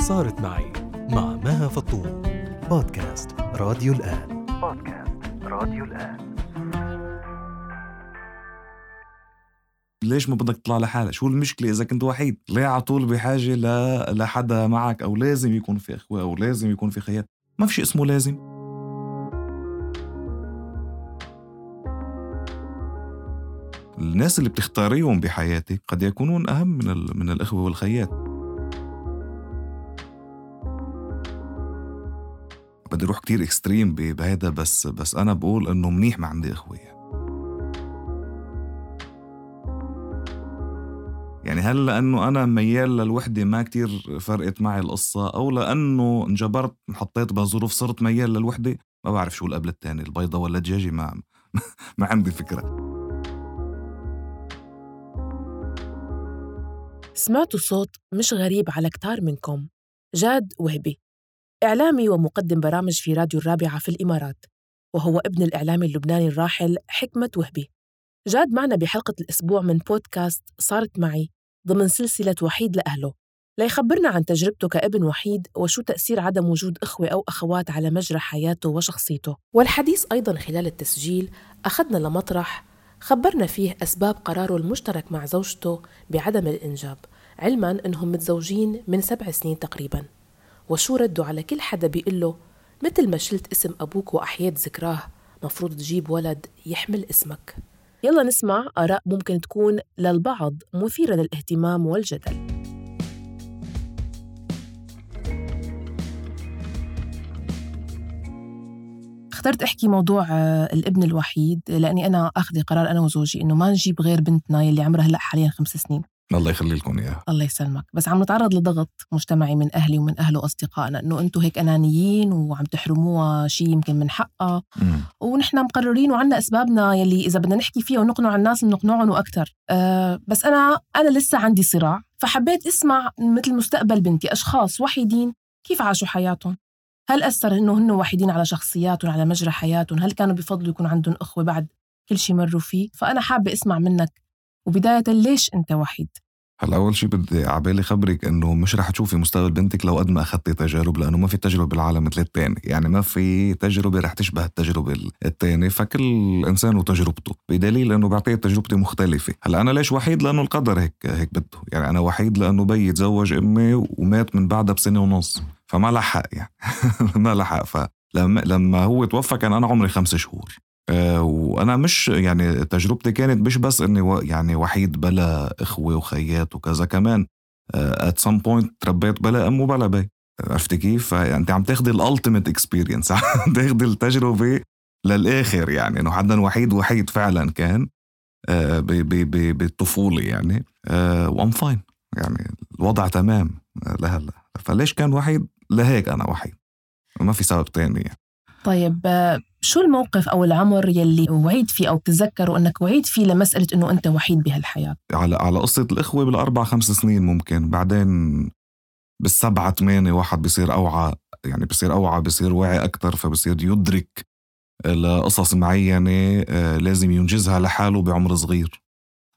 صارت معي مع مها فطوم. بودكاست راديو الآن. ليش ما بدك تطلع لحالك؟ شو المشكلة إذا كنت وحيد؟ ليه على طول بحاجة لحدا معك؟ أو لازم يكون في أخوة أو لازم يكون في خيار؟ ما في شيء اسمه لازم. الناس اللي بتختاريهم بحياتك قد يكونون أهم من الأخوة والخيات. بدي أروح كتير إكستريم بهذا، بس أنا بقول إنه منيح ما عندي أخوة. يعني هل لأنه أنا ميال للوحدة ما كتير فرقت معي القصة، أو لأنه انجبرت حطيت بظروف صرت ميال للوحدة؟ ما بعرف شو القبل التاني، البيضة ولا الدجاجة، ما عندي فكرة. سمعتوا صوت مش غريب على كتار منكم. جاد وهبي إعلامي ومقدم برامج في راديو الرابعة في الإمارات، وهو ابن الإعلامي اللبناني الراحل حكمة وهبي. جاد معنا بحلقة الأسبوع من بودكاست صارت معي ضمن سلسلة وحيد لأهله، ليخبرنا عن تجربته كابن وحيد وشو تأثير عدم وجود أخوة أو أخوات على مجرى حياته وشخصيته. والحديث أيضاً خلال التسجيل أخذنا لمطرح خبرنا فيه أسباب قراره المشترك مع زوجته بعدم الإنجاب، علماً أنهم متزوجين من 7 سنين تقريباً، وشو ردوا على كل حدا بيقله مثل ما شلت اسم أبوك وأحييت ذكراه مفروض تجيب ولد يحمل اسمك. يلا نسمع آراء ممكن تكون للبعض مثيرة للاهتمام والجدل. اخترت أحكي موضوع الابن الوحيد لأني أنا أخذ قرار أنا وزوجي إنه ما نجيب غير بنتنا يلي عمرها هلأ حالياً 5 سنين. الله يخلي لكم إياه. الله يسلمك. بس عم نتعرض لضغط مجتمعي من أهلي ومن أهله وأصدقائنا إنه أنتوا هيك أنانيين وعم تحرموها شيء يمكن من حقها، ونحن مقررين وعنا أسبابنا يلي إذا بدنا نحكي فيها ونقنع الناس نقنعهم وأكتر. بس أنا لسه عندي صراع، فحبيت أسمع مثل مستقبل بنتي أشخاص وحيدين كيف عاشوا حياتهم. هل أثر إنه هن وحيدين على شخصياتهم على مجرى حياتهم؟ هل كانوا بفضلوا يكون عندهم أخوة بعد كل شيء مروا فيه؟ فأنا حابة أسمع منك، وبداية ليش أنت وحيد؟ هلا أول شيء بدي عبالي خبرك إنه مش رح تشوفي مستقبل بنتك لو قد ما أخذتي تجارب، لأنه ما في تجربة بالعالم مثل التاني. يعني ما في تجربة رح تشبه التجربة التاني، فكل إنسان وتجربته، بدليل إنه بعطيه تجربتي مختلفة. هلا أنا ليش وحيد؟ لأنه القدر هيك بده. يعني أنا وحيد لأنه بي تزوج أمي ومات من بعدها ب1.5 سنة، فما لحق يعني ما لحق. فلما هو توفى كان أنا عمري 5 شهور. وأنا مش يعني تجربتي كانت مش بس إني يعني وحيد بلا إخوة وخيات وكذا، كمان at some point تربيت بلا أم وبلا بي. عرفتي كيف؟ فأنت عم تاخدي الالتيميت اكسبيرينس، عم تاخدي التجربة للآخر. يعني إنه حدا وحيد فعلا كان بالطفولة يعني. وأم فاين، يعني الوضع تمام لهلا. فليش كان وحيد؟ لهيك أنا وحيد، ما في سبب تاني يعني. طيب شو الموقف أو العمر يلي وعيد فيه أو تتذكروا أنك وعيد فيه لمسألة أنه أنت وحيد بهالحياة؟ على قصة الإخوة بال4-5 سنين ممكن، بعدين بال7-8 واحد بيصير أوعى، يعني بيصير واعي أكتر، فبيصير يدرك لقصص معينة لازم ينجزها لحاله بعمر صغير.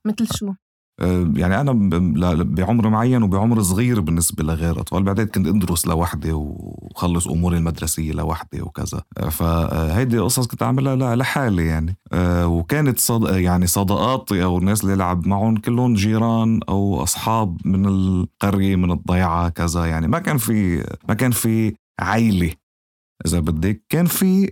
مثل شو؟ يعني أنا بعمر معين وبعمر صغير بالنسبة لغير أطفال. بعدين كنت أدرس لوحدي وخلص أموري المدرسية لوحدي وكذا، فهيدي قصص كنت أعملها لحالي يعني. وكانت يعني صداقاتي أو الناس اللي لعب معهم كلهم جيران أو أصحاب من القرية من الضيعة كذا. يعني ما كان في عائلة إذا بدك. كان في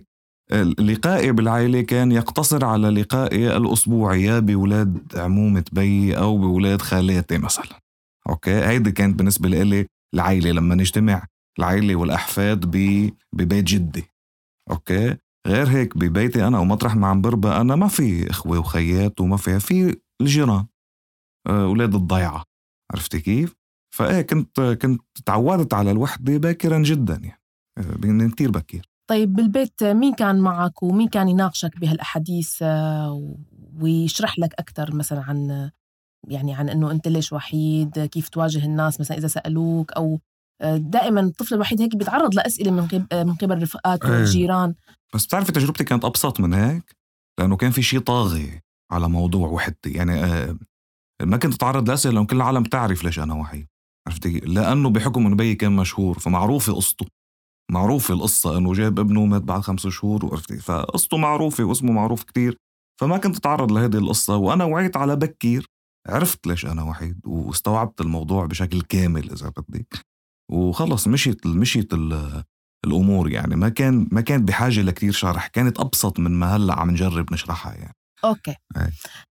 لقائي بالعائلة كان يقتصر على لقائي الأسبوعي يا بولاد عمومة بي أو بولاد خالاتي مثلا. أوكي، هيدي كانت بالنسبة لي العائلة، لما نجتمع العائلة والأحفاد ببيت جدي. أوكي، غير هيك ببيتي أنا ومطرح ما عم بربى أنا ما في إخوة وخيات، وما في الجيران أولاد الضيعة. عرفتي كيف؟ فإيه كنت تعودت على الوحدة باكرا جدا، يعني كتير بكير. طيب بالبيت مين كان معك ومين كان يناقشك بهالأحاديث ويشرح لك أكتر مثلا عن أنه أنت ليش وحيد، كيف تواجه الناس مثلا إذا سألوك، أو دائما الطفل الوحيد هيك بيتعرض لأسئلة من قبل رفقاته والجيران؟ بس بتعرفي تجربتي كانت أبسط من هيك، لأنه كان في شيء طاغي على موضوع وحدتي. يعني ما كنت أتعرض لأسئلة لأنه كل العالم تعرف ليش أنا وحيد. عرفتي؟ لأنه بحكم إنه بيي كان مشهور فمعروفة قصته، معروفة القصة إنه جاب ابنه مات بعد 5 شهور وعرفتي، فقصته معروفة واسمه معروف كتير، فما كنت أتعرض لهذه القصة. وأنا وعيت على بكير، عرفت ليش أنا وحيد واستوعبت الموضوع بشكل كامل إذا بدك، وخلص مشيت الأمور يعني. ما كان بحاجة لكتير شرح، كانت أبسط من ما هلأ عم نجرب نشرحها يعني. أوكي.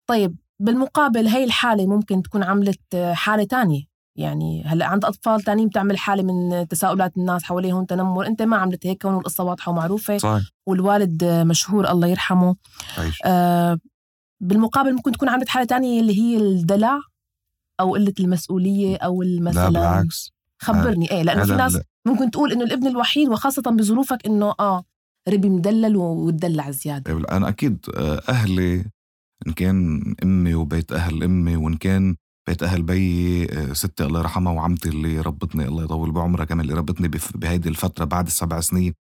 طيب بالمقابل هاي الحالة ممكن تكون عملت حالة تانية، يعني هلأ عند أطفال تانيين بتعمل حالة من تساؤلات الناس حواليهم تنمر، أنت ما عملت هيك كونه القصة واضحة ومعروفة. صحيح. والوالد مشهور الله يرحمه. بالمقابل ممكن تكون عملت حالة تانية اللي هي الدلع أو قلة المسؤولية أو لا بالعكس. خبرني. إيه، لأنه في ناس ممكن تقول إنه الابن الوحيد وخاصة بظروفك إنه ربي مدلل وتدلع زيادة. أنا أكيد أهلي، إن كان أمي وبيت أهل أمي، وإن كان بيت أهل بي ستي الله يرحمها وعمتي اللي ربتني الله يطول بعمرها كمان اللي ربتني بهيدي الفترة بعد 7 سنين،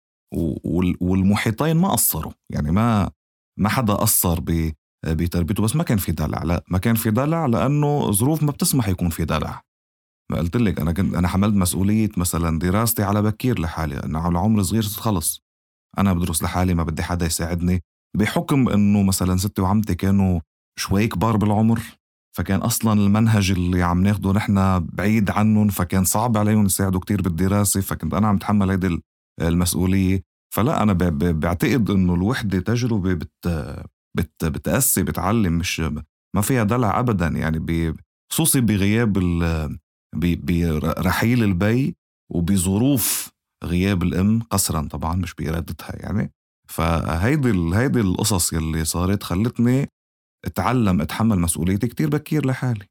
والمحيطين ما قصروا يعني، ما حدا قصر بتربيته، بس ما كان في دلع. لا، ما كان في دلع لأنه ظروف ما بتسمح يكون في دلع. ما قلت لك أنا حملت مسؤولية مثلا دراستي على بكير لحالي، أنا على عمر صغير خلص أنا بدرس لحالي، ما بدي حدا يساعدني، بحكم أنه مثلا ستي وعمتي كانوا شوي كبار بالعمر، فكان أصلا المنهج اللي عم ناخده نحن بعيد عنهم، فكان صعب عليهم يساعدوا كتير بالدراسة، فكنت أنا عم تحمل هيدي المسؤولية. فلا، أنا بعتقد أنه الوحدة تجربة بتأسي بتعلم، مش ما فيها دلع أبدا يعني، خصوصي بغياب برحيل البي وبظروف غياب الأم قسرا طبعا مش بإرادتها يعني. فهيدي القصص يلي صارت خلتني أتحمل مسؤوليتي كتير بكير لحالي،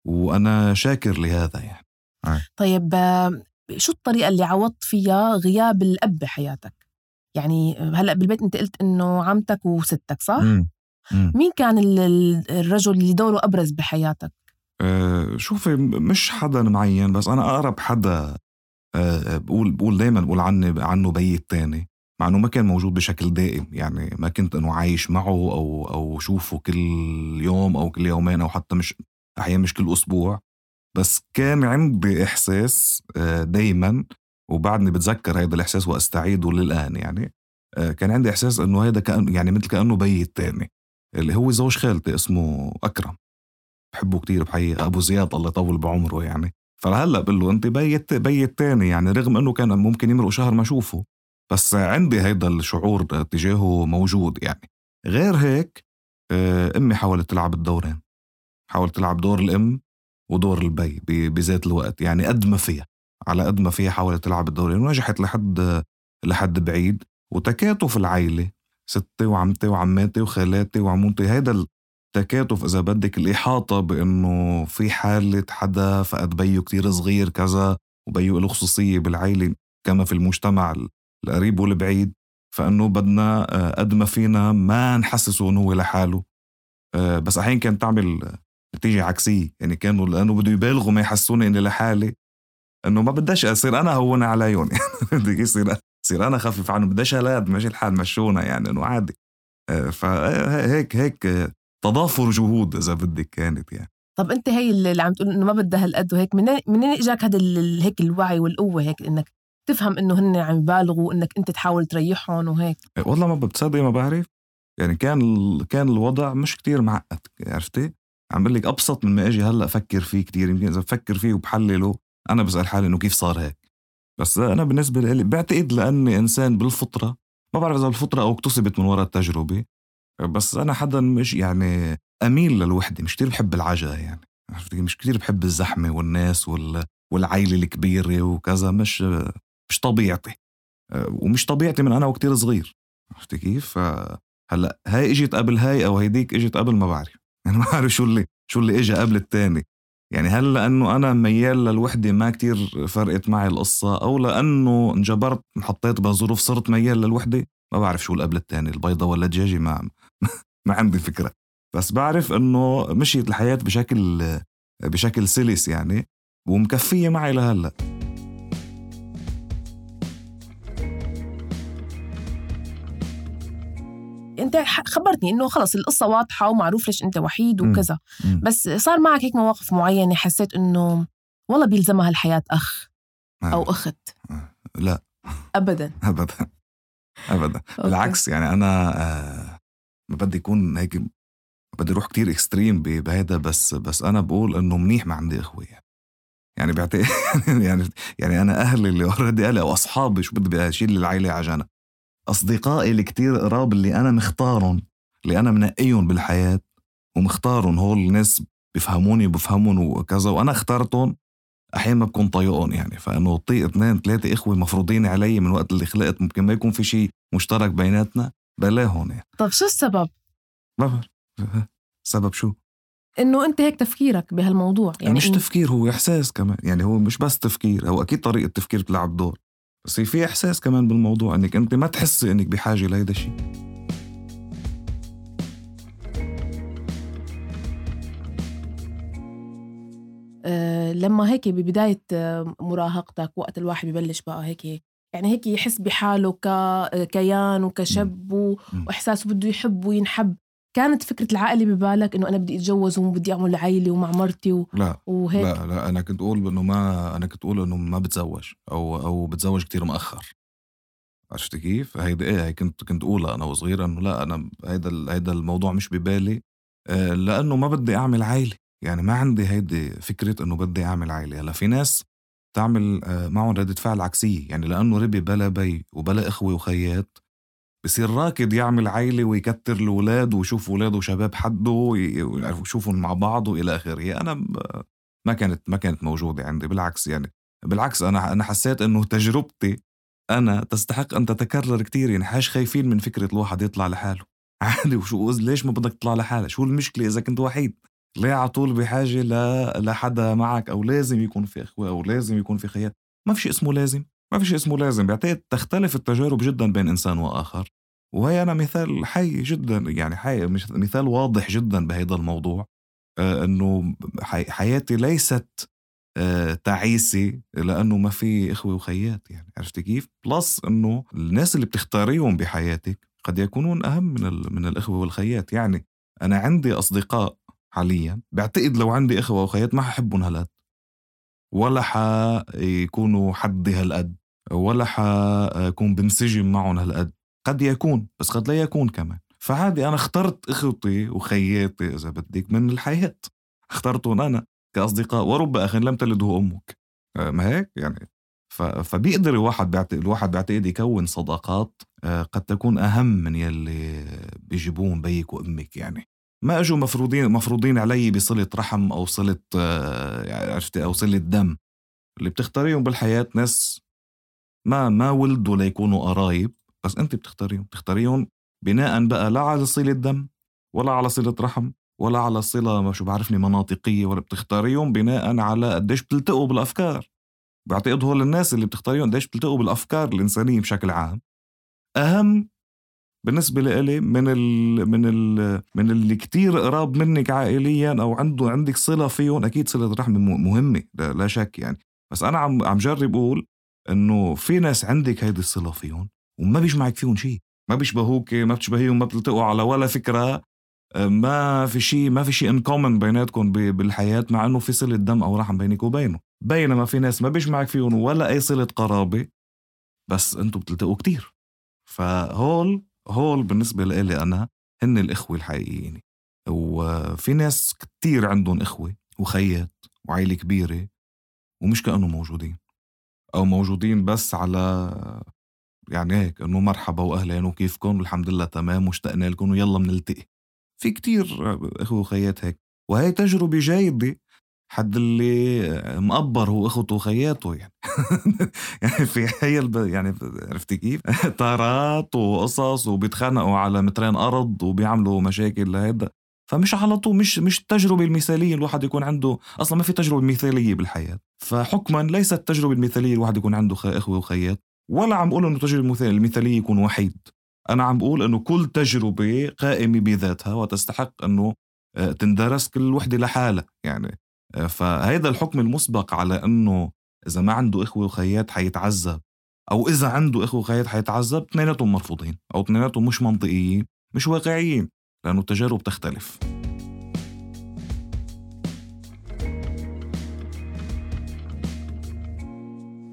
وأنا شاكر لهذا يعني. طيب شو الطريقة اللي عوضت فيها غياب الأب بحياتك؟ يعني هلأ بالبيت أنت قلت إنه عمتك وستك صح؟ مين كان الرجل اللي دوره أبرز بحياتك؟ شوفي، مش حدا معين، بس أنا أقرب حدا بقول دايما بقول عنه بيي التاني، مع أنه ما كان موجود بشكل دائم يعني، ما كنت أنه عايش معه أو شوفه كل يوم أو كل يومين أو حتى مش أحيانا مش كل أسبوع، بس كان عندي إحساس دايما، وبعدني بتذكر هذا الإحساس وأستعيده للآن يعني. كان عندي إحساس أنه هذا يعني مثل كأنه بيي التاني اللي هو زوج خالتي اسمه أكرم، بحبه كتير بحقيقة، أبو زياد الله يطول بعمره يعني. فهلأ بقول له أنت بيي التاني يعني، رغم أنه كان ممكن يمرق شهر ما أشوفه، بس عندي هيدا الشعور تجاهه موجود يعني. غير هيك أمي حاولت تلعب الدورين، حاولت تلعب دور الأم ودور البي بذات الوقت يعني، قد ما فيها على قد ما فيها حاولت تلعب الدورين، ونجحت لحد بعيد. وتكاتف العائلة، ستي وعمتي وعماتي وخالاتي وعمومتي، هيدا التكاتف إذا بدك، الإحاطة بأنه في حالة حدا فقد بيو كتير صغير كذا، وبيو له خصوصية بالعائلة كما في المجتمع القريب والبعيد، فأنه بدنا قد ما فينا ما نحسسه أنه هو لحاله. بس أحيان كانت تعمل نتيجة عكسية يعني، كانوا لأنه بدو يبالغوا ما يحسوني إني لحالي، أنه ما بداش أصير أنا هون عليهم بدي يصير أنا خفيف عنه، بداش هلاد ماشي الحال مشونا يعني إنه عادي. فهيك تضافر جهود إذا بدك كانت يعني. طب أنت هي اللي عم تقول إنه ما بدها هالقد وهيك، منين إجاك هذا هيك الوعي والقوة هيك إنك تفهم إنه هن عم يبالغوا وإنك أنت تحاول تريحهم وهيك؟ والله ما بتصدق، ما بعرف يعني، كان الوضع مش كتير معقد عرفتي، عم بقول لك أبسط من ما أجي هلأ أفكر فيه كتير. يمكن إذا بفكر فيه وبحلله أنا بسأل حالي إنه كيف صار هيك. بس أنا بالنسبة لي بعتقد لأني إنسان بالفطرة، ما بعرف إذا بالفطرة أو اكتسبت من وراء التجربة، بس أنا حدا مش يعني أميل للوحدة، مش كتير بحب العجلة يعني، مش كتير بحب الزحمة والناس والعائلة الكبيرة وكذا، مش طبيعتي، ومش طبيعتي من أنا وكتير صغير. عرفتي كيف؟ هلأ هاي اجت قبل هاي أو هيديك اجت قبل، ما بعرف يعني، ما بعرف شو اللي اجى قبل التاني يعني. هل لأنه أنا ميال للوحدة ما كتير فرقت معي القصة، أو لأنه انجبرت انحطيت بظروف صرت ميال للوحدة؟ ما بعرف شو قبل التاني، البيضة ولا الدجاجة، ما عندي فكرة. بس بعرف أنه مشيت الحياة بشكل سلس يعني، ومكفية معي لهلأ. انت خبرتني انه خلص القصة واضحة ومعروف ليش انت وحيد وكذا، بس صار معك هيك مواقف معينة حسيت انه والله بيلزمها الحياة أخ أو أخت؟ لا أبداً أبداً أبداً. بالعكس يعني أنا ما بدي يكون هيك، بدي أروح كتير إكستريم بهذا، بس أنا بقول إنه منيح ما عندي إخوة يعني بعتقد يعني أنا أهلي اللي أوريدي أهلي أو أصحابي شو بدي أشيل العائلة عجانة، أصدقائي اللي كتير قراب اللي أنا مختارهم، اللي أنا منقيهم بالحياة ومختارهم، هول الناس بيفهموني وبفهمون وكذا، وأنا اخترتهم. أحيانا ما بكون طايقهم يعني، فإنه طيق 2-3 إخوة مفروضين علي من وقت اللي خلقت، ممكن ما يكون في شيء مشترك بيناتنا بلاهون يعني. طب شو السبب؟ سبب شو؟ إنه أنت هيك تفكيرك بهالموضوع يعني مش تفكير، هو إحساس كمان يعني. هو مش بس تفكير، هو أكيد طريقة تفكير بتلعب دور، بس في إحساس كمان بالموضوع إنك أنت ما تحس إنك بحاجة لهيدا الشيء. لما هيك ببداية مراهقتك، وقت الواحد ببلش بقى هيك يعني هيك يحس بحاله ككيان وكشاب وإحساسه بده يحب وينحب، كانت فكرة العائلة ببالك إنه أنا بدي أتجوز وبدي أعمل عائلة ومع مرتي وهيك؟ لا أنا كنت أقول إنه ما بتزوج أو بتزوج كتير مؤخر. عرفت كيف؟ هيدا كنت أقولها أنا وصغير، إنه لا أنا هيدا الموضوع مش ببالي، لأنه ما بدي أعمل عائلة يعني. ما عندي هيدي فكرة إنه بدي أعمل عائلة. هلا في ناس تعمل معهم ردة فعل عكسية يعني، لأنه ربي بلا بي وبلا إخوة وخيات بصير راكد يعمل عائلة ويكتر الأولاد ويشوف أولاده وشباب حده ويشوفهم مع بعض وإلى آخره. أنا ما كانت موجودة عندي. بالعكس أنا حسيت إنه تجربتي أنا تستحق أن تتكرر كتير يعني. حاش خايفين من فكرة الواحد يطلع لحاله عادي. ليش ما بدك تطلع لحالك؟ شو المشكلة إذا كنت وحيد؟ ليه عطول بحاجة لحدا معك، أو لازم يكون في إخوة أو لازم يكون في خيات؟ ما في شيء اسمه لازم. بعتقد تختلف التجارب جدا بين إنسان وآخر، وهي أنا مثال حي جدا يعني، مثال واضح جدا بهذا الموضوع. أنه حياتي ليست تعيسة لأنه ما في إخوة وخيات يعني. عرفت كيف؟ بلس أنه الناس اللي بتختاريهم بحياتك قد يكونون أهم من الإخوة والخيات يعني. أنا عندي أصدقاء حاليا بعتقد لو عندي إخوة وخيات ما ححبهم هالقد، ولا حيكونوا حدي هالقد، ولا حكون بنسجم معهم هالقد. قد يكون بس قد لا يكون كمان. فعادي أنا اخترت إخوتي وخياتي إذا بدك من الحياة، اخترتهم أنا كأصدقاء. ورب أخ لم تلده أمك، ما هيك يعني. فبيقدر الواحد بعتقد يكون صداقات قد تكون أهم من يلي بيجيبون بيك وأمك يعني. ما أجوا مفروضين علي بصلة رحم أو صلة عرفتي أو صلة دم. اللي بتختاريهم بالحياة ناس ما ولدوا ليكونوا قرايب، بس أنت بتختاريهم بناء بقى لا على صلة دم ولا على صلة رحم ولا على صلة ما شو بعرفني مناطقية، ولا بتختاريهم بناء على قديش بتلتقوا بالأفكار. بعتقد هول الناس اللي بتختاريهم قديش بتلتقوا بالأفكار الإنسانية بشكل عام أهم بالنسبة لي من اللي كتير قراب منك عائليا أو عندك صلة فيهم. أكيد صلة رحم مهمة لا شك يعني، بس أنا عم جرب أقول إنه في ناس عندك هيدي الصلة فيهم وما بيجمعك فيهم شيء، ما بيشبهوك، ما بتشبهيهم، ما بتلتقوا على ولا فكرة، ما في شيء إن كومن بيناتكم بالحياة، مع إنه في صلة دم أو رحم بينك وبينه. بينما في ناس ما بيجمعك فيهم ولا أي صلة قرابة، بس أنتوا بتلتقوا كتير. فهول بالنسبة لي أنا هن الإخوة الحقيقيين. وفي ناس كتير عندهم إخوة وخيات وعائلة كبيرة ومش كأنه موجودين، أو موجودين بس على يعني هيك إنه مرحبا وأهلين وكيفكم والحمد لله تمام واشتقنا لكم ويلا منلتقي. في كتير إخوة وخيات هيك، وهي تجربة جيدة. حد اللي مقبر هو إخوته وخياته يعني يعني في يعني عرفتي كيف طارات وقصص وبيتخانقوا على مترين أرض وبيعملوا مشاكل لهذا. فمش على طول مش التجربة المثالية الواحد يكون عنده. أصلا ما في تجربة مثالية بالحياة، فحكما ليست التجربة المثالية الواحد يكون عنده إخوة وخيات. ولا عم بقول إنه التجربة المثالية يكون وحيد. أنا عم بقول إنه كل تجربة قائمة بذاتها وتستحق إنه تندرس كل وحدة لحالة يعني. فهذا الحكم المسبق على أنه إذا ما عنده إخوة وخيات حيتعذب، أو إذا عنده إخوة وخيات حيتعذب، اثنيناتهم مرفوضين أو اثنيناتهم مش منطقيين، مش واقعيين، لأنه التجارب تختلف.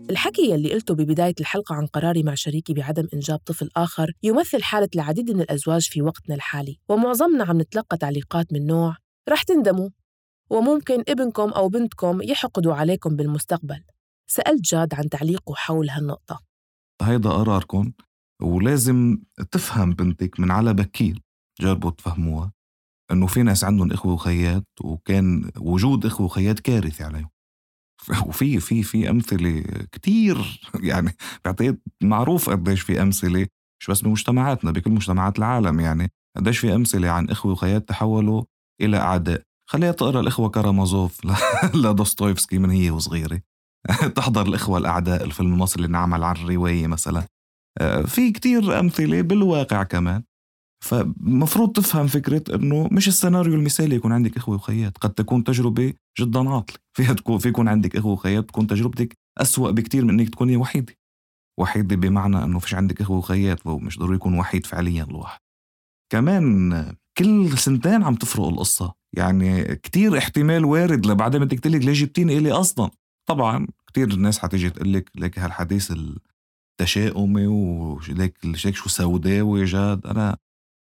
الحكي يلي قلته ببداية الحلقة عن قراري مع شريكي بعدم إنجاب طفل آخر يمثل حالة العديد من الأزواج في وقتنا الحالي، ومعظمنا عم نتلقى تعليقات من نوع رح تندموا وممكن ابنكم أو بنتكم يحقدوا عليكم بالمستقبل. سألت جاد عن تعليقه حول هالنقطة. هيدا قراركم ولازم تفهم بنتك من على بكير، جربوا تفهموها إنه في ناس عندهم إخوة وخيات وكان وجود إخوة وخيات كارثة عليهم. وفي في في أمثلة كتير يعني بعتقد معروف قديش في أمثلة مش بس بمجتمعاتنا بكل مجتمعات العالم، يعني قديش في أمثلة عن إخوة وخيات تحولوا إلى أعداء. خليها تقرأ الإخوة كارامازوف لدوستويفسكي من هي وصغيرة تحضر الإخوة الأعداء الفيلم المصري اللي نعمل عن الرواية مثلا. في كتير أمثلة بالواقع كمان. فمفروض تفهم فكرة إنه مش السيناريو المثالي يكون عندك إخوة وخيات، قد تكون تجربة جدا عاطلة. في يكون عندك إخوة وخيات تكون تجربتك أسوأ بكتير من إنك تكوني وحيدة بمعنى إنه فيش عندك إخوة وخيات ومش ضروري يكون وحيد فعليا الواحد. كمان كل سنتين عم تفرق القصة، يعني كتير احتمال وارد لبعدين بدك تقلك ليه جبتيني إلي أصلا. طبعا كتير الناس حتيجي تقلك لك هالحديث التشاؤمي وليك شو سوداوي. جاد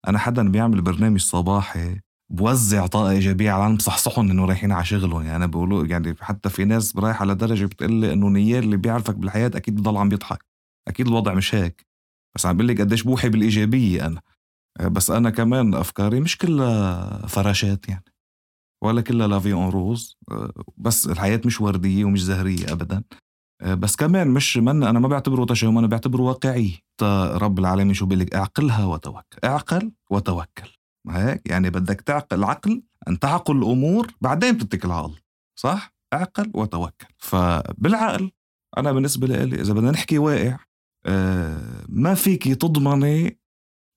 أنا حدا بيعمل برنامج صباحي بوزع طاقة إيجابية على العالم، بصحصحهم إنه رايحين على شغلهم. يعني أنا بقوله يعني حتى في ناس رايح على درجة بتقلي إنه نيال اللي بيعرفك بالحياة أكيد بضل عم بيضحك، أكيد الوضع مش هيك، بس عم بقلك قديش بوحي بالإيجابية أنا. بس أنا كمان أفكاري مش كلها فراشات يعني، ولا كلها لافي أون روز، بس الحياة مش وردية ومش زهرية أبدا. بس كمان مش أنا ما بعتبره تشاؤم، أنا بعتبره واقعي. رب العالمين شو بيقلك؟ اعقلها وتوكل، اعقل وتوكل. هيك يعني بدك تعقل العقل، أن تعقل الأمور بعدين بتتكل على الله، صح؟ اعقل وتوكل. فبالعقل أنا بالنسبة لي إذا بدنا نحكي واقع، ما فيك تضمني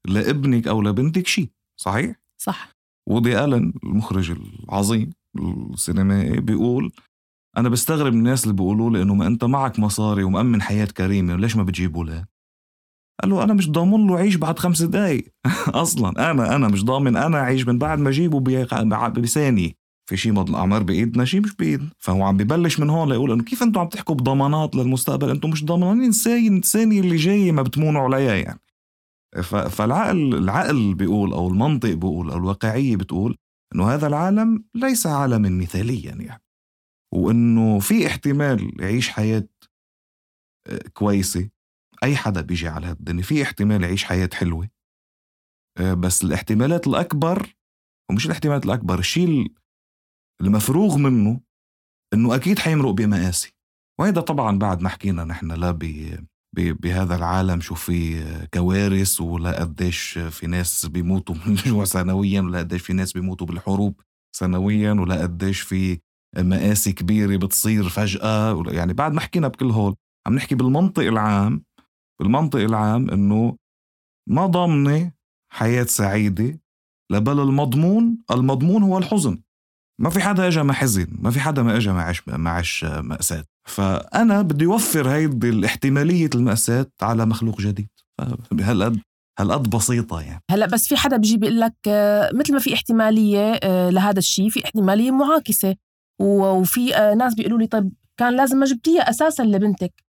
لابنك أو لبنتك شيء، صحيح؟ صح. وودي ألن المخرج العظيم السينمائي بيقول أنا بستغرب الناس اللي بيقولوا لي إنه ما أنت معك مصاري ومأمن حياة كريمة وليش ما بتجيبوا له؟ قال له أنا مش ضامن له عيش بعد 5 دقايق أصلا. أنا مش ضامن أنا عيش من بعد ما أجيبه بثانية. في شيء مضل الأعمار بإيدنا، شيء مش بإيدنا. فهو عم ببلش من هون ليقول إنه كيف أنتوا عم تحكوا بضمانات للمستقبل؟ أنتوا مش ضامنين الثانية اللي جاية ما بتمونوا عليها يعني. فالعقل بيقول أو المنطق بيقول أو الواقعية بتقول إنه هذا العالم ليس عالما مثاليا يعني، وإنه في احتمال يعيش حياة كويسة. أي حدا بيجي على هالدنيا في احتمال يعيش حياة حلوة، بس الاحتمالات الأكبر، ومش الاحتمالات الأكبر، الشيء المفروغ منه إنه أكيد حيمرق بمآسي. وهذا طبعا بعد ما حكينا نحن لا بهذا العالم شو في كوارث، ولا قديش في ناس بيموتوا من الجوع سنويا، ولا قديش في ناس بيموتوا بالحروب سنويا، ولا قديش في مآسي كبيرة بتصير فجأة. يعني بعد ما حكينا بكل هول عم نحكي بالمنطق العام إنه ما ضامنة حياة سعيدة، لبل المضمون هو الحزن. ما في حدا اجا ما حزن، ما في حدا ما اجا ما عاش مأساة. فأنا بدي يوفر هيدي الاحتمالية المأساة على مخلوق جديد. هالقد بسيطة يعني. هلأ بس في حدا بيجي بيقول لك مثل ما في احتمالية لهذا الشيء، في احتمالية معاكسة. وفي ناس بيقولوا لي طيب كان لازم ما جبتيها أساسا لبنتك،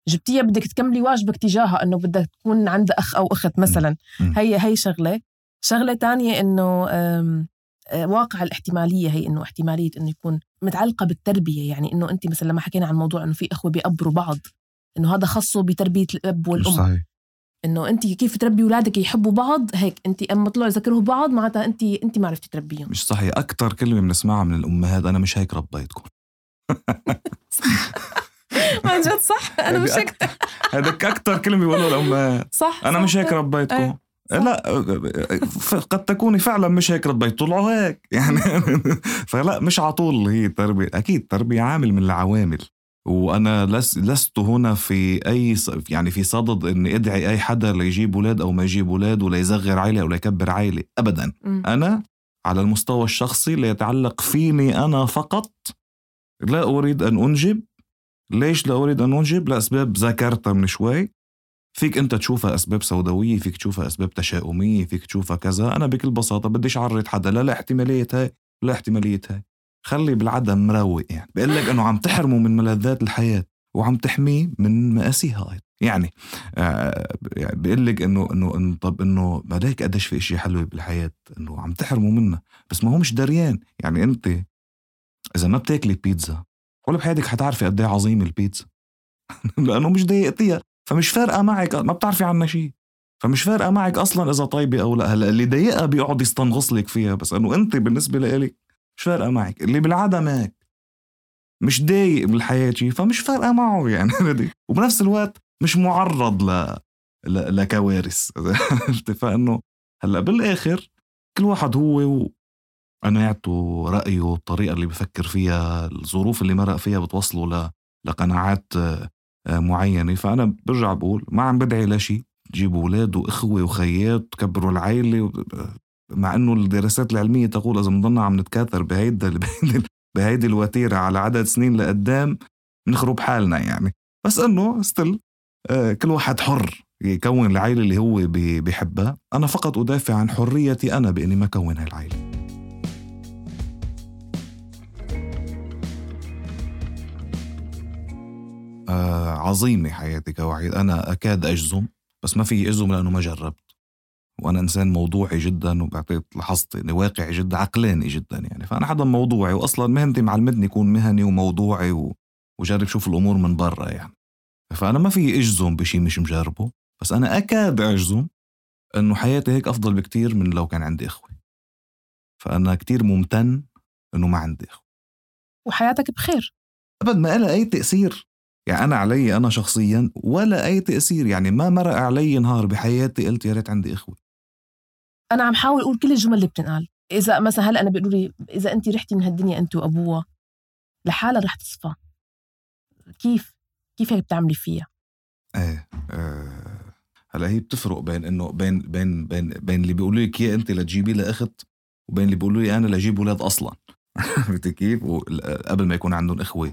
جبتيها بدك تكملي واجبك تجاهها، إنه بدك تكون عند أخ أو أخت مثلا. هي شغلة تانية إنه واقع الاحتمالية هي إنه احتمالية إنه يكون متعلقة بالتربية. يعني إنه أنت مثلا لما حكينا عن موضوع إنه في أخوة بيقبروا بعض، إنه هذا خاصه بتربية الأب والأم. صحيح. إنه أنت كيف تربي أولادك يحبوا بعض، هيك أنت أما طلعوا يذكروا بعض معناتها أنت ما عرفتي تربيهم. مش صحيح. أكتر كلمة بنسمعها من الأمهات أنا مش هيك ربيتكم. ما جد صح. أنا مش هيك. هذاك أكتر كلمة بيقولوا الأمهات. صح. أنا مش هيك ربيتكم. لا قد تكوني فعلا مش هيك ربيت، طلعوا هيك يعني. فلا مش عطول هي التربية. أكيد تربية عامل من العوامل، وأنا لست هنا في أي يعني في صدد إني أدعي أي حدا ليجيب أولاد أو ما يجيب أولاد، ولا يصغر عائلة أو لا يكبر عائلة أبدا. أنا على المستوى الشخصي لا يتعلق فيني أنا فقط لا أريد أن أنجب. ليش لا أريد أن أنجب؟ لأسباب ذكرتها من شوي. فيك أنت تشوفها أسباب سوداوية، فيك تشوفها أسباب تشاؤمية، فيك تشوفها كذا. أنا بكل بساطة بديش أعرض حدا لا احتمالية هاي لا احتمالية هاي. خلي بالعدم مروق يعني. بقول لك أنه عم تحرموا من ملذات الحياة وعم تحميه من مآسيها. يعني بيقول لك إنه طب إنه مالك قديش في إشي حلو بالحياة إنه عم تحرموا منه، بس ما هو مش دريان. يعني أنت إذا ما بتاكلي بيتزا ولا بحياتك حتعرفي قد ايه عظيم البيتزا لأنه مش ضايقتيها، فمش فارقة معك، ما بتعرفي عنها شيء، فمش فارقة معك أصلا إذا طيبة أو لا. هلا اللي ضايقها بيقعد يستنغص لك فيها، بس إنه أنت بالنسبة لإلك مش فارقة معك. اللي بالعادة ماك مش ضايق بالحياة شيء، فمش فارقة معه يعني وبنفس الوقت مش معرض لكوارث. فإنه هلا بالآخر كل واحد هو وقناعته، رأيه، الطريقة اللي بفكر فيها، الظروف اللي مرق فيها بتوصله لقناعات معينة. فأنا برجع بقول ما عم بدعي لشي تجيبوا أولاد وإخوة وخيات تكبروا العائلة، مع أنه الدراسات العلمية تقول إذا منضلنا عم نتكاثر بهيدي الوتيرة على عدد سنين لقدام نخرب حالنا يعني. بس أنه ستيل كل واحد حر يكون العائلة اللي هو بيحبها. أنا فقط أدافع عن حريتي أنا بإني ما كون هاي العائلة. عظيمة حياتي كوحيد. أنا أكاد أجزم، بس ما في أجزم لأنه ما جربت، وأنا إنسان موضوعي جدا، وبعطيت لاحظت إني واقعي جدا، عقلاني جدا يعني. فأنا حدا موضوعي، وأصلا مهنتي معلمتني يكون مهني وموضوعي وجرب شوف الأمور من برا يعني. فأنا ما في أجزم بشي مش مجربه، بس أنا أكاد أجزم إنه حياتي هيك أفضل بكتير من لو كان عندي إخوة. فأنا كتير ممتن إنه ما عندي إخوة. وحياتك بخير أبد ما لها أي تأثير يعني. أنا علي أنا شخصيا ولا أي تأثير يعني. ما مرق علي نهار بحياتي قلت يا ريت عندي إخوة. أنا عم حاول أقول كل الجمل اللي بتنقال. إذا مثلا هلأ أنا بيقولوا لي إذا أنت رحتي من هالدنيا أنت وأبوها لحالها رح تصفى، كيف هيك بتعملي فيها؟ هلا هي بتفرق بين إنه بين اللي بيقولوا لك يا أنت لتجيبي لأخت، وبين اللي بيقولوا لي أنا لجيب ولاد أصلا. كيف قبل ما يكون عندهم إخوة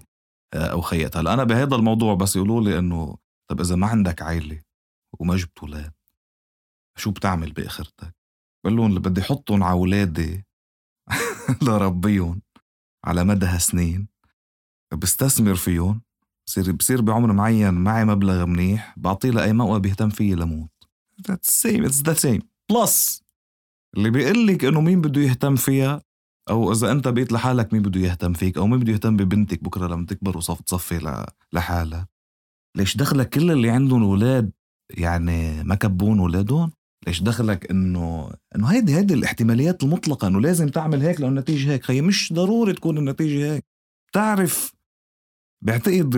أو خيات. هلا أنا بهذا الموضوع بس يقولوا لي إنه طب إذا ما عندك عائلة وما جبت ولاد شو بتعمل بآخرتك؟ بقول لهم اللي بدي حطهم على أولادي لربيهم على مدى سنين، بستثمر فيهم، بصير بعمر معين معي مبلغ منيح، بعطيه لأي موقع بيهتم فيه لموت. It's the same. Plus اللي بيقلك إنه مين بده يهتم فيها، أو إذا أنت بقيت لحالك مين بده يهتم فيك، أو مين بده يهتم ببنتك بكرة لما تكبر وتصفي لحالها. ليش دخلك كل اللي عندهم أولاد يعني ما كبون أولادهم؟ ليش دخلك إنه هيدي الاحتماليات المطلقة إنه لازم تعمل هيك لأن النتيجة هيك؟ خي مش ضروري تكون النتيجة هيك. تعرف بعتقد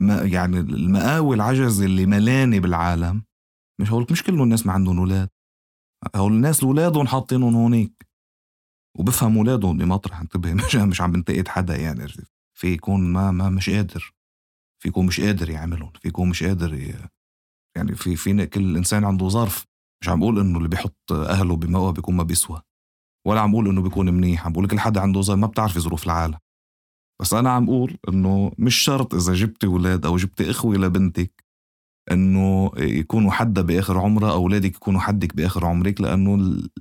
يعني المقاوي العجز اللي ملاني بالعالم، مش هقولك مش كل الناس ما عندهم أولاد، هول الناس أولادهم حاطينهم هونيك وبفهم أولادهم بمطرح. انتبه مش عم بنتقد حدا يعني. في يكون ما مش قادر، في يكون مش قادر يعملهم، في يكون مش قادر يعني في كل إنسان عنده ظرف. مش عم بقول إنه اللي بيحط أهله بموقع بيكون ما بيسوى، ولا عم بقول إنه بيكون منيح. عم بقول كل حدا عنده ظرف، ما بتعرفي ظروف العالم. بس أنا عم بقول إنه مش شرط إذا جبتي ولاد أو جبتي إخوة لبنتك إنه يكونوا حدا بآخر عمره، أو ولادك يكونوا حدك بآخر عمرك، لأنه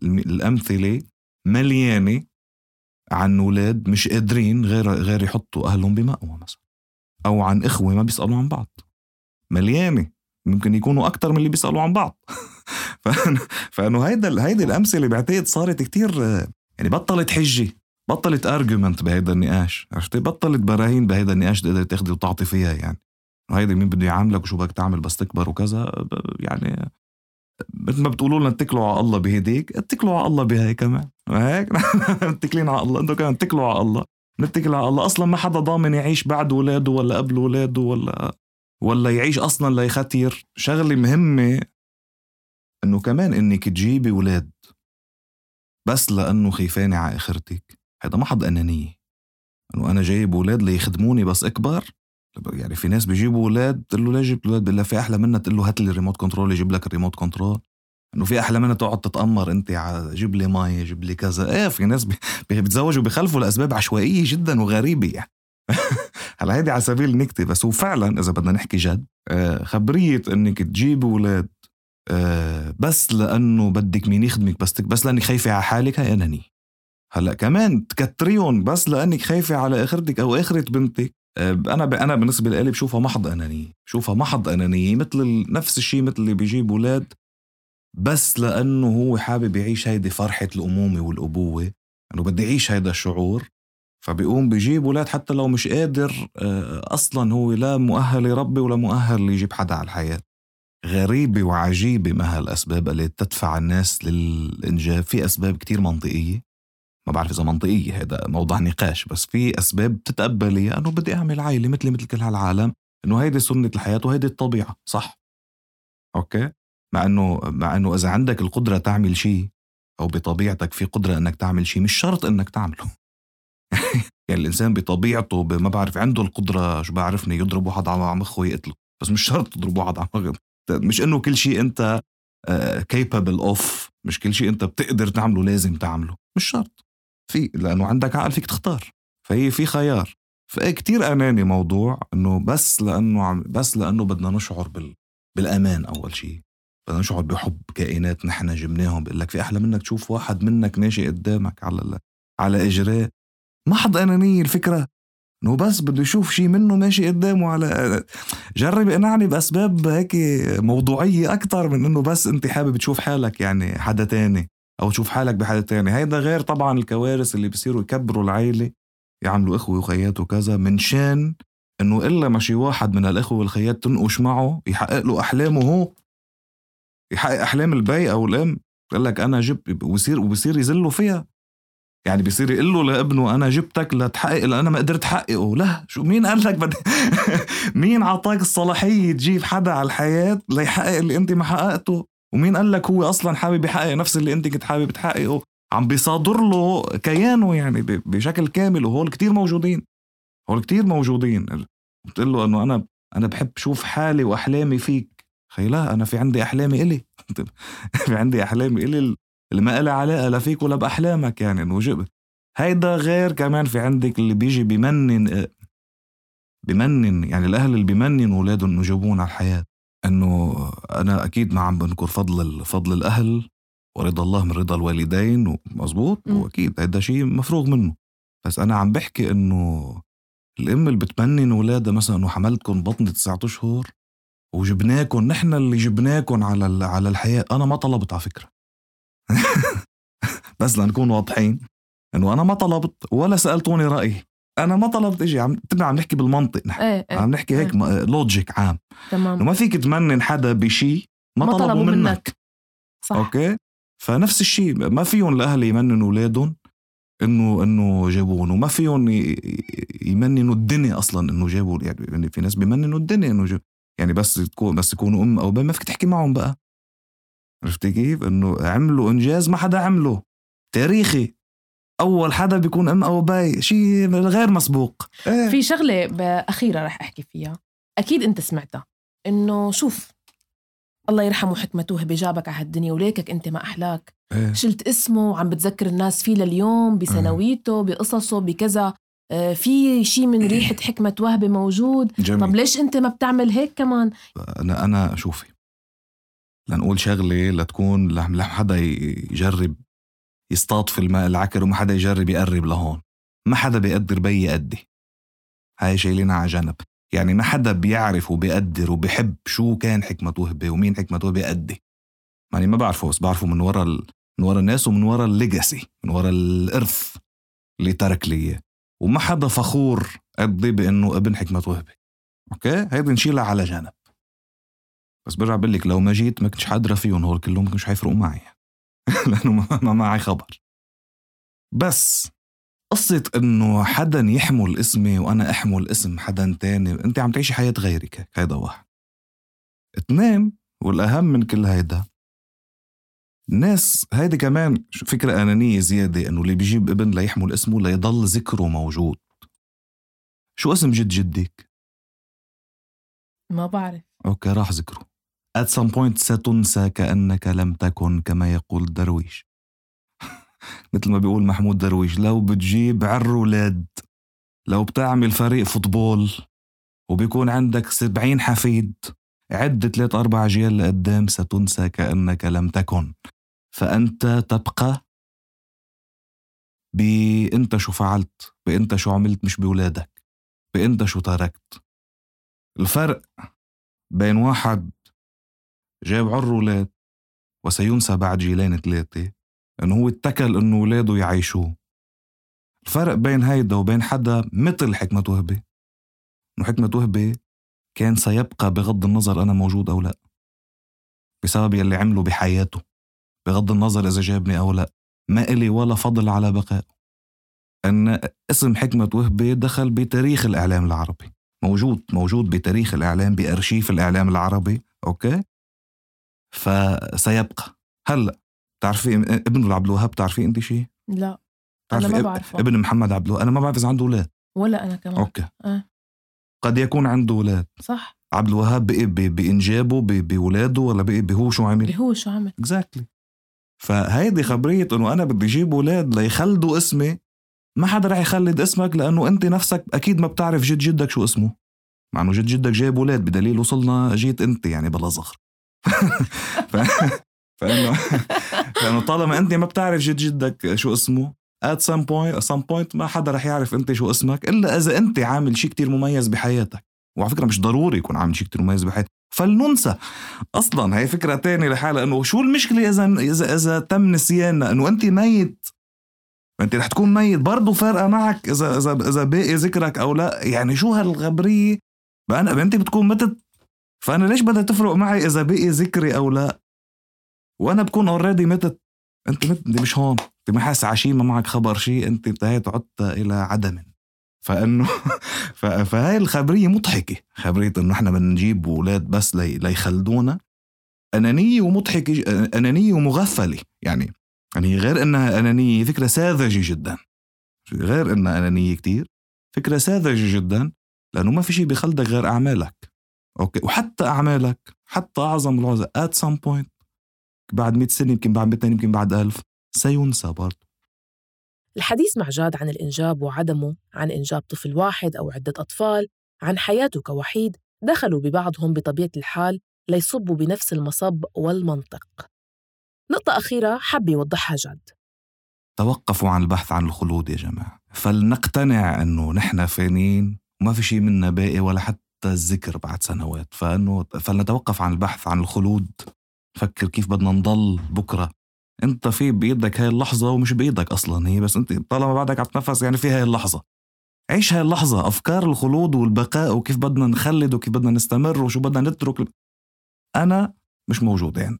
الأمثلة مليانة عن ولاد مش قادرين غير يحطوا أهلهم بمأوى مثلا، أو عن إخوة ما بيسألوا عن بعض. مليانة، ممكن يكونوا أكتر من اللي بيسألوا عن بعض. فأنه هيدا الأمثلة بعتقد صارت كتير يعني. بطلت حجة، بطلت أرجومنت بهيدا النقاش، عرفتي؟ بطلت براهين بهيدا النقاش تقدر تاخدي وتعطي فيها يعني. وهيدا مين بده يعاملك وشو بدك تعمل بس تكبر وكذا يعني. مثل ما بتقولوا لنا اتكلوا على الله بهديك، اتكلوا على الله بهاي كمان. هيك متكلين على الله، انتوا كمان اتكلوا على الله. نتكل على الله. اصلا ما حدا ضامن يعيش بعد ولاده ولا قبل ولاده ولا يعيش اصلا ليختير. شغله مهمه انه كمان انك تجيبي ولاد بس لانه خيفاني على اخرتك، هذا محض انانيه. انه انا جايب ولاد ليخدموني بس اكبر. يعني في ناس بيجيبوا ولاد تقول له ليش جبت ولاد؟ بالله في احلى منها تقول له هات لي الريموت كنترول يجيب لك الريموت كنترول. انه في احلى منها تقعد تتامر انت جيب لي ماي جيب لي كذا. في ناس بيتزوجوا بيخلفوا لاسباب عشوائيه جدا وغريبه يعني. هلا هيدي على سبيل النكته، بس هو فعلا اذا بدنا نحكي جد خبريه انك تجيب ولاد بس لانه بدك مين يخدمك، بس لانك خايفه على حالك، هي اناني. هلا كمان تكتريهم بس لانك خايفه على اخرتك او اخره بنتك، أنا بالنسبة لي بشوفها محض أنانية مثل نفس الشيء مثل اللي بيجيب أولاد بس لأنه هو حابب يعيش هيدي فرحة الأمومة والأبوة، أنه بدي يعيش هيدا الشعور، فبيقوم بيجيب أولاد حتى لو مش قادر أصلا هو لا مؤهل يربي ولا مؤهل يجيب حدا على الحياة. غريبة وعجيبة ما هالأسباب اللي تدفع الناس للإنجاب. في أسباب كتير منطقية، ما بعرف إذا منطقية هذا موضوع نقاش، بس في أسباب تتقبليها أنه بدي أعمل عائلة مثل كل هالعالم، أنه هيدي سنة الحياة وهيدي الطبيعة، صح؟ أوكي؟ مع أنه إذا عندك القدرة تعمل شيء أو بطبيعتك في قدرة أنك تعمل شيء مش شرط أنك تعمله. يعني الإنسان بطبيعته ما بعرف عنده القدرة شو بعرفني يضرب واحد على مخه ويقتله، بس مش شرط تضرب واحد على مخه. مش إنه كل شيء أنت capable of، مش كل شيء أنت بتقدر تعمله لازم تعمله، مش شرط. لأنه عندك عقل فيك تختار، فهي في خيار. فكتير أناني موضوع إنه بس لأنه بدنا نشعر بالأمان. أول شيء بدنا نشعر بحب كائنات نحن جبناهم. بقول لك في أحلى منك تشوف واحد منك ماشي قدامك على إجراء. محض أنانية الفكرة إنه بس بده يشوف شيء منه ماشي قدامه على. جرب اقنعني بأسباب هيك موضوعية أكتر من إنه بس أنت حابب تشوف حالك يعني حدا تاني أو تشوف حالك بحدا تاني. هيدا غير طبعا الكوارث اللي بيصيروا يكبروا العائلة، يعملوا إخوة وخيات وكذا من شان إنه إلا ماشي واحد من الإخوة والخيات تنقش معه يحقق له أحلامه، هو يحقق أحلام البي أو الأم. قال لك أنا جبت وبيصير يزلوا فيها. يعني بيصير يقول له لابنه أنا جبتك لتحقق اللي أنا ما قدرت حققه. لا، شو مين قال لك مين عطاك الصلاحية تجيب حدا على الحياة ليحقق اللي أنت ما حققته؟ ومين قال لك هو أصلا حابب يحقق نفس اللي أنت كنت حابب تحققه؟ عم بيصادر له كيانه يعني بشكل كامل. وهول كتير موجودين. بتقول له أنه أنا بحب شوف حالي وأحلامي فيك. لا، أنا في عندي أحلامي إلي. في عندي أحلامي إلي اللي ما إلها علاقة لا فيك ولا بأحلامك. يعني إنه هيدا غير. كمان في عندك اللي بيجي بيمنن يعني الأهل اللي بيمنن أولادهم إنه جابون على الحياة. إنه أنا أكيد ما عم بنكر فضل الأهل ورضا الله من رضا الوالدين، ومزبوط، وأكيد هيدا شيء مفروغ منه. بس أنا عم بحكي إنه الأم اللي بتمنن أولادها مثلا إنه حملتكم بطني 9 أشهر وجبناكم، نحن اللي جبناكم على الحياة. أنا ما طلبت على فكرة. بس لنكون واضحين انه انا ما طلبت ولا سألتوني رأيي. انا ما طلبت. اجي عم نحكي بالمنطق نحن. عم نحكي هيك لوجيك عام. تمام. ما فيك تمنن حدا بشي ما طلبوا منك. صح. اوكي. فنفس الشيء ما فيهم الاهل يمننوا اولادهم انه جابون، وما فيهم يمننوا الدنيا اصلا انه جابوا. يعني في ناس بيمننوا الدنيا انه يعني بس يكونوا ام او ما فيك تحكي معهم بقى. عرفتي كيف؟ انه عملوا انجاز ما حدا عمله تاريخي. اول حدا بيكون ام او باي، شيء غير مسبوق. في شغله اخيره رح احكي فيها، اكيد انت سمعتها، انه شوف الله يرحمه حكمته بجابك على هالدنيا وليكك انت ما احلاك. شلت اسمه وعم بتذكر الناس فيه لليوم بسنويته بقصصه بكذا. في شيء من ريحه حكمة وهبة موجود. جميل. طب ليش انت ما بتعمل هيك كمان؟ انا شوفي، لنقول شغله لتكون لما حدا يجرب يصطاد في الماء العكر وما حدا يجرب يقرب لهون. ما حدا بيقدر بي قدي، هاي شايلينها على جنب. يعني ما حدا بيعرف وبيقدر وبيحب شو كان حكمة وهبة ومين حكمة وهبة قدي. يعني ما بعرفه، بس بعرفه من ورا الناس ومن ورا الليجاسي، من ورا الإرث اللي ترك لي. وما حدا فخور قدي بأنه ابن حكمة وهبة. اوكي، هيدا نشيلها على جنب. بس برجع بقولك لو ما جيت ما كنتش حادرة فيهم هول كلهم، ما كنتش حيفرقوا معي. لأنه ما معي خبر. بس قصة إنه حدا يحمل اسمي وأنا أحمل اسم حدا تاني، أنت عم تعيشي حياة غيرك. هيدا واحد. 2، والأهم من كل هيدا، الناس هيدا كمان فكرة أنانية زيادة، إنه اللي بيجيب ابن ليحمل اسمه ليضل ذكره موجود. شو اسم جدك؟ ما بعرف. أوكي، راح ذكره. at some point ستنسى كأنك لم تكن، كما يقول درويش. مثل ما بيقول محمود درويش، لو بتجيب عالرولاد، لو بتعمل فريق فوتبول وبيكون عندك 70 حفيد، عد 3-4 أجيال لقدام ستنسى كأنك لم تكن. فأنت تبقى بأنت شو فعلت، بأنت شو عملت، مش بولادك. بأنت شو تركت. الفرق بين واحد جاب عر ولاد وسينسى بعد جيلين 3 أنه هو اتكل أنه ولاده يعيشوه. الفرق بين هيدا وبين حدا مثل حكمة وهبي أنه حكمة وهبي كان سيبقى بغض النظر أنا موجود أو لا، بسبب يلي عمله بحياته، بغض النظر إذا جابني أو لا، ما إلي ولا فضل على بقائه. أن اسم حكمة وهبي دخل بتاريخ الإعلام العربي، موجود بتاريخ الإعلام، بأرشيف الإعلام العربي. أوكي، فسيبقى. هلأ تعرفي ابن عبد الوهاب؟ تعرفي أنت شيء؟ لا أنا ما بعرفه. ابن محمد عبد الوهاب أنا ما بعرف إذا عنده أولاد ولا أنا كمان. أوكي. قد يكون عنده أولاد، صح. عبد الوهاب بقي بإنجابه بولاده ولا بقي بهو شو عمل؟ exactly. فهيدي خبرية إنه أنا بدي جيب أولاد ليخلدوا اسمي. ما حدا رح يخلد اسمك لأنه أنت نفسك أكيد ما بتعرف جد جدك شو اسمه، مع أنه جد جدك جايب أولاد، بدليل وصلنا جيت أنت يعني بلا زغر. فإنه طالما أنت ما بتعرف جد جدك شو اسمه at some point ما حدا رح يعرف أنت شو اسمك إلا إذا أنت عامل شيء كتير مميز بحياتك. وعلى فكرة مش ضروري يكون عامل شيء كتير مميز بحياتك، فلننسى أصلاً. هاي فكرة تانية لحالة، إنه شو المشكلة إذا تم نسياننا إنه أنت ميت، أنت رح تكون ميت برضو، فارقة معك إذا باقي ذكرك أو لا. يعني شو هالغبرية بقى؟ أنت بتكون متت، فأنا ليش بدها تفرق معي إذا باقي ذكري أو لا؟ وأنا بكون already متت. أنت مش هون، أنت ما حاس عشي ما معك خبر شيء، أنت انتهيت عدت إلى عدم. فإنه فهاي الخبرية مضحكة، خبرية إنه إحنا بنجيب أولاد بس ليخلدونا. أنانية ومضحكة، أنانية ومغفلة. يعني غير إنها أنانية، فكرة ساذجة جدا. غير إنها أنانية كتير، فكرة ساذجة جدا، لأنه ما في شيء بيخلدك غير أعمالك. أوكي، وحتى أعمالك، حتى أعظم العظة at some point بعد 100 سنة، يمكن بعد 200، يمكن بعد 1000 سينسى برضه. الحديث مع جاد عن الإنجاب وعدمه، عن إنجاب طفل واحد أو عدة أطفال، عن حياته كوحيد، دخلوا ببعضهم بطبيعة الحال ليصبوا بنفس المصب والمنطق. نقطة أخيرة حب يوضحها جاد: توقفوا عن البحث عن الخلود يا جماعة، فلنقتنع أنه نحن فانين وما في شيء منا باقي ولا حتى الذكر بعد سنوات. فلنتوقف عن البحث عن الخلود، فكر كيف بدنا نضل بكرة. انت في بإيدك هاي اللحظة ومش بإيدك أصلا هي، بس انت طالما بعدك عتنفس يعني في هاي اللحظة، عيش هاي اللحظة. أفكار الخلود والبقاء وكيف بدنا نخلد وكيف بدنا نستمر وشو بدنا نترك، أنا مش موجود. يعني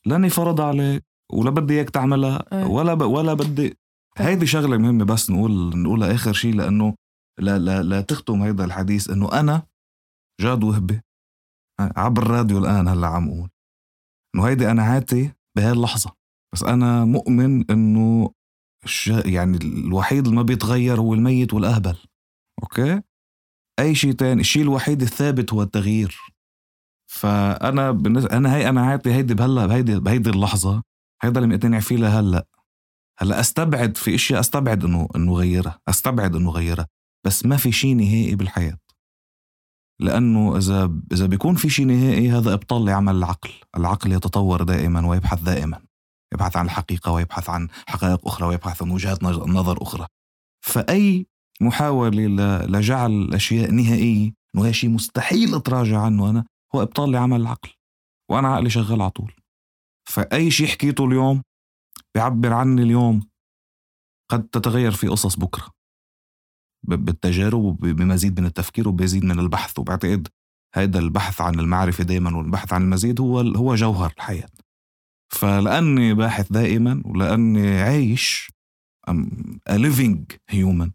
لاني فرض عليك ولا بدي اياك تعملها ولا بدي. هيدي شغلة مهمة بس نقولها آخر شيء، لأنه لا تختم هيدا الحديث. إنه أنا جاد وهبي عبر الراديو الآن هلا عم أقول إنه هيدي أنا عاتي بهاي اللحظة، بس أنا مؤمن إنه يعني الوحيد اللي ما بيتغير هو الميت والأهبل. أوكي، أي شيء تاني، الشيء الوحيد الثابت هو التغيير. فأنا أنا عاتي هيدي بهيدي اللحظة، هيدا اللي مقتنع فيه لهلا. أستبعد في إشياء، أستبعد إنه غيرها، بس ما في شيء نهائي بالحياة. لأنه إذا بيكون في شيء نهائي، هذا إبطال لعمل العقل يتطور دائما ويبحث دائما، يبحث عن الحقيقة ويبحث عن حقائق أخرى ويبحث عن وجهات نظر أخرى. فأي محاولة لجعل الأشياء نهائية، إنه هي شيء مستحيل أتراجع عنه أنا، هو إبطال لعمل العقل، وأنا عقلي شغال على طول. فأي شيء حكيته اليوم بيعبر عني اليوم، قد تتغير في قصص بكرة بالتجارب وبمزيد من التفكير وبمزيد من البحث. وبعتقد هذا البحث عن المعرفة دايما والبحث عن المزيد هو جوهر الحياة. فلأني باحث دائما ولأني عايش a living human،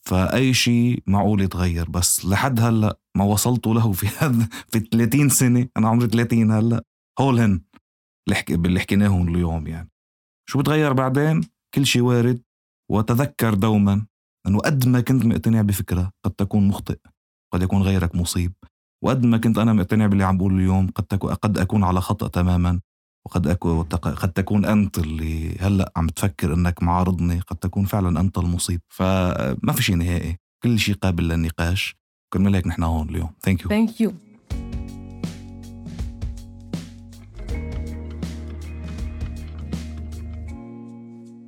فأي شيء معقول يتغير، بس لحد هلأ ما وصلته له في 30 سنة، أنا عمري 30 هلأ، هولهن اللي حكيناهم اليوم. يعني شو بتغير بعدين؟ كل شيء وارد. وتذكر دوما أنه قد ما كنت مقتنع بفكرة قد تكون مخطئ، قد يكون غيرك مصيب. وقد ما كنت أنا مقتنع باللي عم بقوله اليوم قد أكون على خطأ تماما، قد تكون أنت اللي هلأ عم تفكر أنك معارضني، قد تكون فعلا أنت المصيب. فما في شيء نهائي، كل شيء قابل للنقاش. كرمال هيك نحن هون اليوم. Thank you.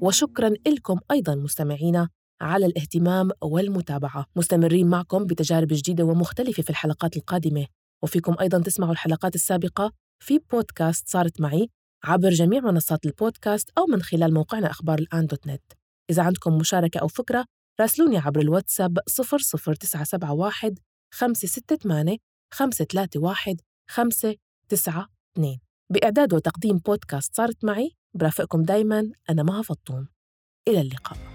وشكراً لكم أيضاً مستمعينا على الاهتمام والمتابعة. مستمرين معكم بتجارب جديدة ومختلفة في الحلقات القادمة، وفيكم أيضاً تسمعوا الحلقات السابقة في بودكاست صارت معي عبر جميع منصات البودكاست أو من خلال موقعنا أخبار الآن.net. إذا عندكم مشاركة أو فكرة راسلوني عبر الواتساب 00971 568 531 592. بإعداد وتقديم بودكاست صارت معي برافقكم دايماً أنا مها فطوم. إلى اللقاء.